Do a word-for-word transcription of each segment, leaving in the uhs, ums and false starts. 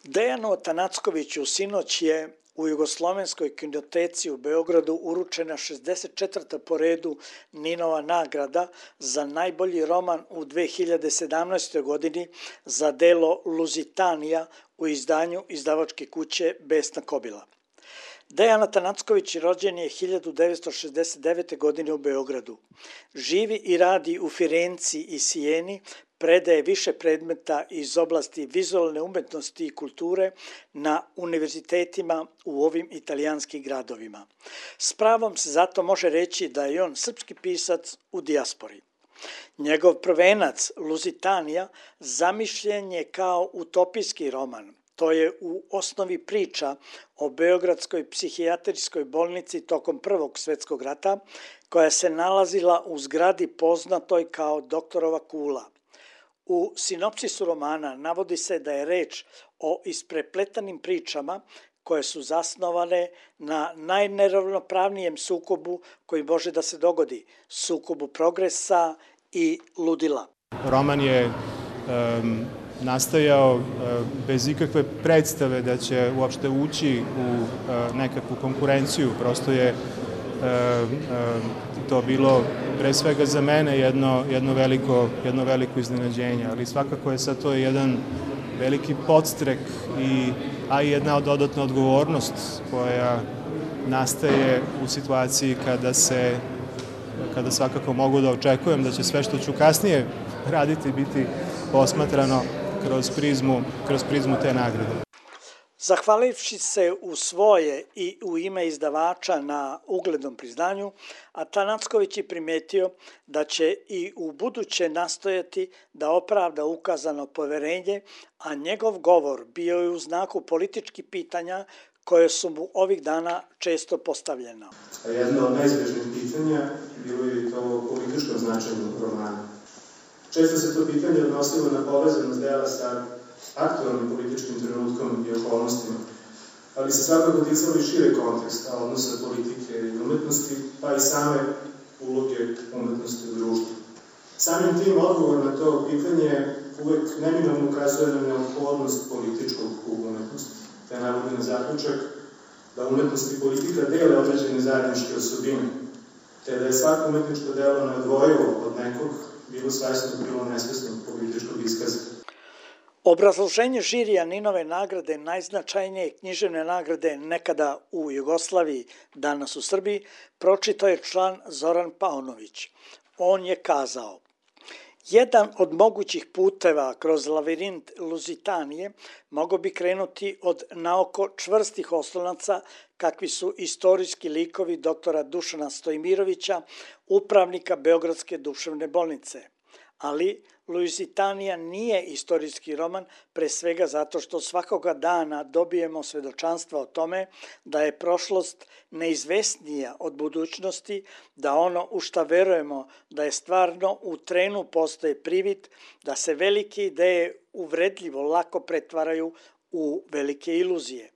Dejanu Atanackoviću sinoć je u Jugoslovenskoj kinoteci u Beogradu uručena šezdeset četvrta po redu Ninova nagrada za najbolji roman u dve hiljade sedamnaestoj. godini za delo Luzitanija u izdanju izdavačke kuće Besna Kobila. Dejan Atanacković rođen je hiljadu devetsto šezdeset devete. godine u Beogradu. Živi i radi u Firenci i Sijeni, predaje više predmeta iz oblasti vizualne umetnosti i kulture na univerzitetima u ovim italijanskim gradovima. S pravom se zato može reći da je on srpski pisac u dijaspori. Njegov prvenac Luzitanija zamišljen je kao utopijski roman. To je u osnovi priča o Beogradskoj psihijatrijskoj bolnici tokom Prvog svetskog rata, koja se nalazila u zgradi poznatoj kao Doktorova kula. U sinopsisu romana navodi se da je reč o isprepletanim pričama koje su zasnovane na najneravnopravnijem sukobu koji može da se dogodi, sukobu progresa i ludila. Roman je um, nastajao uh, bez ikakve predstave da će uopšte ući u uh, nekakvu konkurenciju, prosto je uh, uh, to bilo pre svega za mene jedno, jedno, veliko, jedno veliko iznenađenje, ali svakako je sad to jedan veliki podstrek, i, a i jedna dodatna odgovornost koja nastaje u situaciji kada se, kada svakako mogu da očekujem da će sve što ću kasnije raditi biti posmatrano kroz prizmu, kroz prizmu te nagrade. Zahvalivši se u svoje i u ime izdavača na uglednom priznanju, Atanacković je primetio da će i u buduće nastojati da opravda ukazano poverenje, a njegov govor bio je u znaku političkih pitanja koje su mu ovih dana često postavljena. Jedno od neizbežnih pitanja bilo je to o političkom značenju romana. Često se to pitanje odnosilo na povezanost dela sa aktualnim političkim trenutkom i okolnostima, ali se svakako ticalo i šire konteksta odnosa politike i umetnosti, pa i same uloge umetnosti u društvu. Samim tim odgovor na to pitanje uvek neminovno ukazuje na neophodnost političkog u umetnosti, te navodi na zaključak da umetnost i politika dele određene zajedničke osobine, te da je svako umetničko delo neodvojivo od nekog, bilo svesnog, bilo nesvesnog političkog iskaza. Obrazloženje žirija Ninove nagrade, najznačajnije književne nagrade nekada u Jugoslaviji, danas u Srbiji, pročitao je član Zoran Paunović. On je kazao: jedan od mogućih puteva kroz lavirint Luzitanije mogao bi krenuti od naoko čvrstih oslonaca kakvi su istorijski likovi doktora Dušana Stojmirovića, upravnika Beogradske duševne bolnice. Ali Luzitanija nije istorijski roman, pre svega zato što svakoga dana dobijemo svedočanstva o tome da je prošlost neizvesnija od budućnosti, da ono u šta verujemo da je stvarno u trenu postoje privid, da se velike ideje uvredljivo lako pretvaraju u velike iluzije.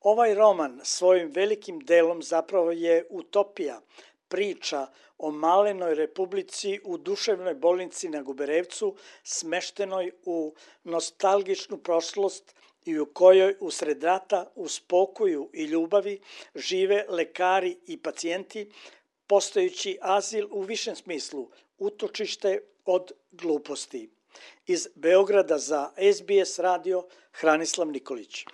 Ovaj roman svojim velikim delom zapravo je utopija, priča o malenoj republici u duševnoj bolnici na Guberevcu, smeštenoj u nostalgičnu prošlost i u kojoj usred rata, u spokoju i ljubavi žive lekari i pacijenti, postajući azil u višem smislu, utočište od gluposti. Iz Beograda za S B S radio, Hranislav Nikolić.